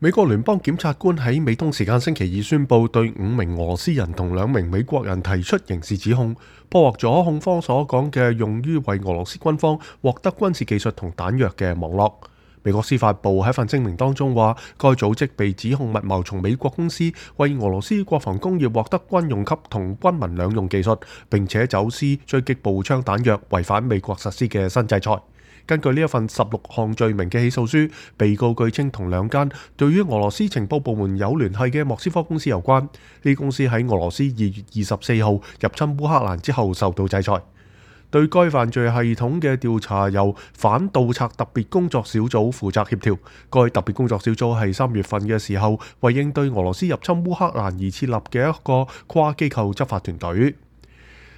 美國聯邦檢察官喺美東時間星期二宣布，對5名俄羅斯人同2名美國人提出刑事指控，破獲咗控方所講嘅用於為俄羅斯軍方獲得軍事技術同彈藥嘅網絡。美國司法部喺份聲明當中話，該組織被指控密謀從美國公司為俄羅斯國防工業獲得軍用級同軍民兩用技術，並且走私狙擊步槍彈藥，違反美國實施嘅新制裁。根據呢一份16項罪名嘅起訴書，被告據稱同2間對於俄羅斯情報部門有聯繫嘅莫斯科公司有關。呢公司喺俄羅斯2月24號入侵烏克蘭之後受到制裁。對該犯罪系統嘅調查由反盜賊特別工作小組負責協調。該特別工作小組係3月份嘅時候為應對俄羅斯入侵烏克蘭而設立嘅一個跨機構執法團隊。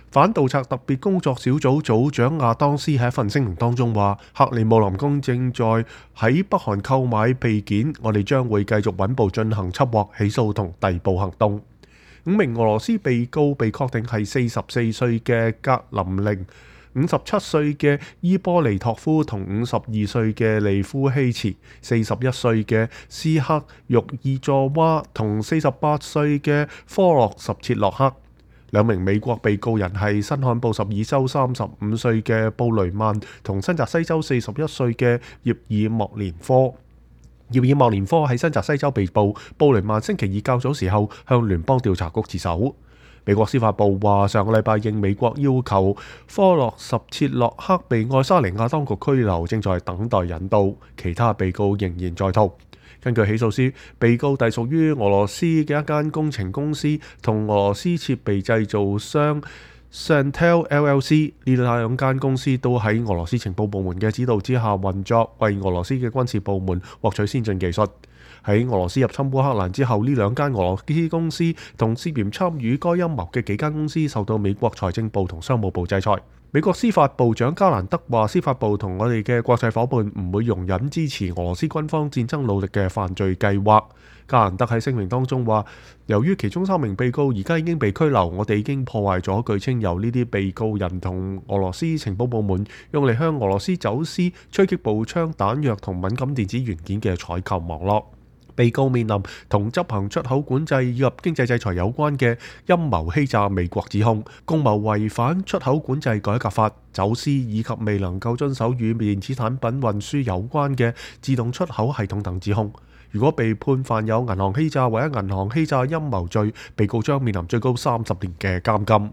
反盜賊特別工作小組組長亞當斯喺一份聲明當中話，克里姆林宮正在喺北韓購買備件，我哋將會繼續穩步進行緝獲、起訴同逮捕行動。5名俄羅斯被告被確定係44歲嘅格林寧、57歲嘅伊波利托夫同52歲嘅利夫希茨、41歲嘅斯克玉爾佐娃同48歲嘅科洛什切洛克。2名美國被告人係新罕布什爾州35歲嘅布雷曼同新澤西州41歲嘅葉爾莫連科。葉爾莫連科喺新澤西州被捕，布雷曼星期2較早時候向聯邦調查局自首。美國司法部話，上個禮拜應美國要求，科洛什切洛克被愛沙尼亞當局拘留，正在等待引渡，其他被告仍然在逃。根據起訴書，被告隸屬於俄羅斯嘅一間工程公司同俄羅斯設備製造商 Santel LLC， 呢2間公司都喺俄羅斯情報部門嘅指導之下運作，為俄羅斯嘅軍事部門獲取先進技術。喺俄羅斯入侵烏克蘭之後，呢2間俄羅斯公司同涉嫌參與該陰謀嘅幾間公司受到美國財政部同商務部制裁。美國司法部長加蘭德話，司法部同我哋嘅國際夥伴唔會容忍支持俄羅斯軍方戰爭努力嘅犯罪計劃。加蘭德喺聲明當中話，由於其中3名被告而家已經被拘留，我哋已經破壞咗據稱由呢啲被告人同俄羅斯情報部門用嚟向俄羅斯走私狙擊步槍彈藥同敏感電子元件嘅採購網絡。被告面臨同執行出口管制以及經濟制裁有關嘅陰謀欺詐美國指控，共謀違反出口管制改革法、走私以及未能夠遵守與電子產品運輸有關嘅自動出口系統等指控。如果被判犯有銀行欺詐或者銀行欺詐陰謀罪，被告將面臨最高30年嘅監禁。